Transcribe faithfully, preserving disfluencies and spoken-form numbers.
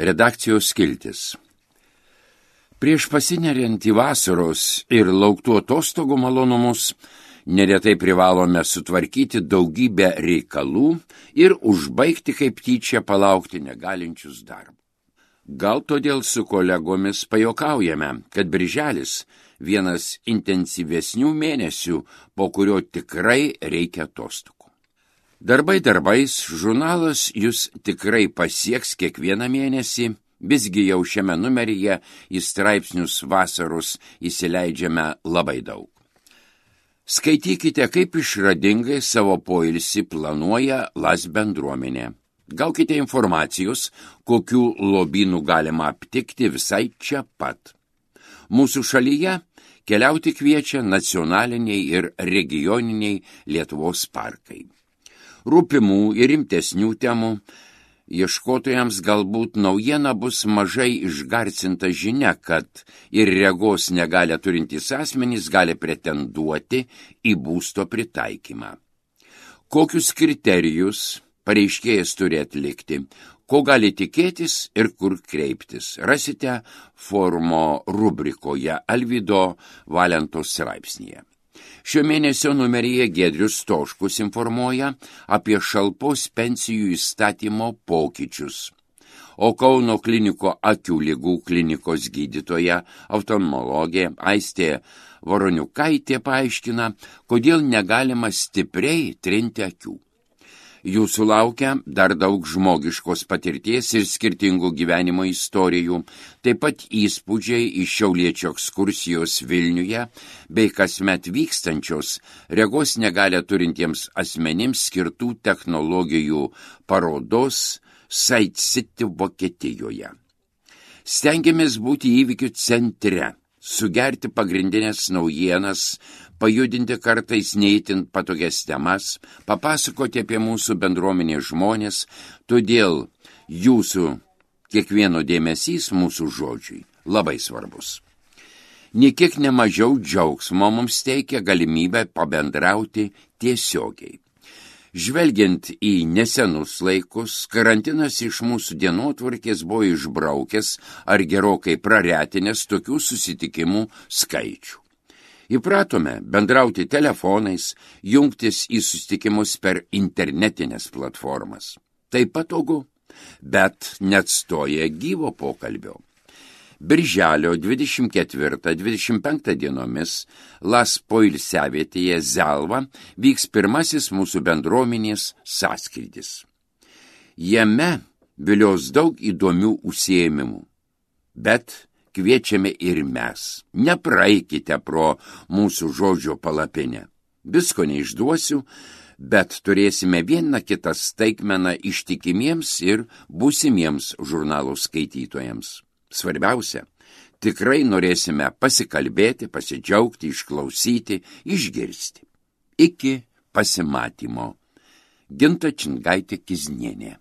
Redakcijos skiltis. Prieš pasineriant į vasaros ir lauktų atostogų malonumus, neretai privalome sutvarkyti daugybę reikalų ir užbaigti kaip tyčia palaukti negalinčius darbų. Gal todėl su kolegomis pajuokaujame, kad birželis vienas intensyvesnių mėnesių, po kurio tikrai reikia atostogų. Darbai darbais, žurnalas jūs tikrai pasieks kiekvieną mėnesį, visgi jau šiame numeryje į straipsnius vasaros įsileidžiame labai daug. Skaitykite, kaip išradingai savo poilsį planuoja Las bendruomenė. Gaukite informacijos, kokių lobynų galima aptikti visai čia pat. Mūsų šalyje keliauti kviečia nacionaliniai ir regioniniai Lietuvos parkai. Rūpimų ir rimtesnių temų ieškotojams galbūt naujiena bus mažai išgarsinta žinia, kad ir regos negalę turintys asmenys gali pretenduoti į būsto pritaikymą. Kokius kriterijus pareiškėjas turi atlikti, ko gali tikėtis ir kur kreiptis, rasite forumo rubrikoje Alvydo Valentos straipsnyje. Šio mėnesio numeryje Giedrius Stoškus informuoja apie šalpos pensijų įstatymo pokyčius, o Kauno kliniko akių ligų klinikos gydytoja oftalmologė Aistė Voroniukaitė paaiškina, kodėl negalima stipriai trinti akių. Jūsų laukia dar daug žmogiškos patirties ir skirtingų gyvenimo istorijų, taip pat įspūdžiai iš šiauliečio ekskursijos Vilniuje bei kasmet vykstančios regos negalę turintiems asmenims skirtų technologijų parodos Sight City Vokietijoje. Stengiamės būti įvykių centre, sugerti pagrindinės naujienas, pajudinti kartais neįtin patogias temas, papasakoti apie mūsų bendruomenės žmonės, todėl jūsų kiekvieno dėmesys mūsų žodžiui labai svarbus. Niekiek nemažiau džiaugsmo mums teikia galimybę pabendrauti tiesiogiai. Žvelgiant į nesenus laikus, karantinas iš mūsų dienotvarkės buvo išbraukęs ar gerokai praretinęs tokių susitikimų skaičių. Įpratome bendrauti telefonais, jungtis į susitikimus per internetinės platformas. Tai patogu, bet neatstoja gyvo pokalbio. Birželio dvidešimt ketvirtą dvidešimt penktą dienomis Las poilsiavietėje Zelva vyks pirmasis mūsų bendruomenės sąskrydis. Jame vilios daug įdomių užsiėmimų, bet kviečiame ir mes. Nepraeikite pro mūsų žodžio palapinę. Visko neišduosiu, bet turėsime vieną kitą staigmeną ištikimiems ir būsimiems žurnalo skaitytojams. Svarbiausia, tikrai norėsime pasikalbėti, pasidžiaugti, išklausyti, išgirsti. Iki pasimatymo. Ginta Čingaitė Kiznienė.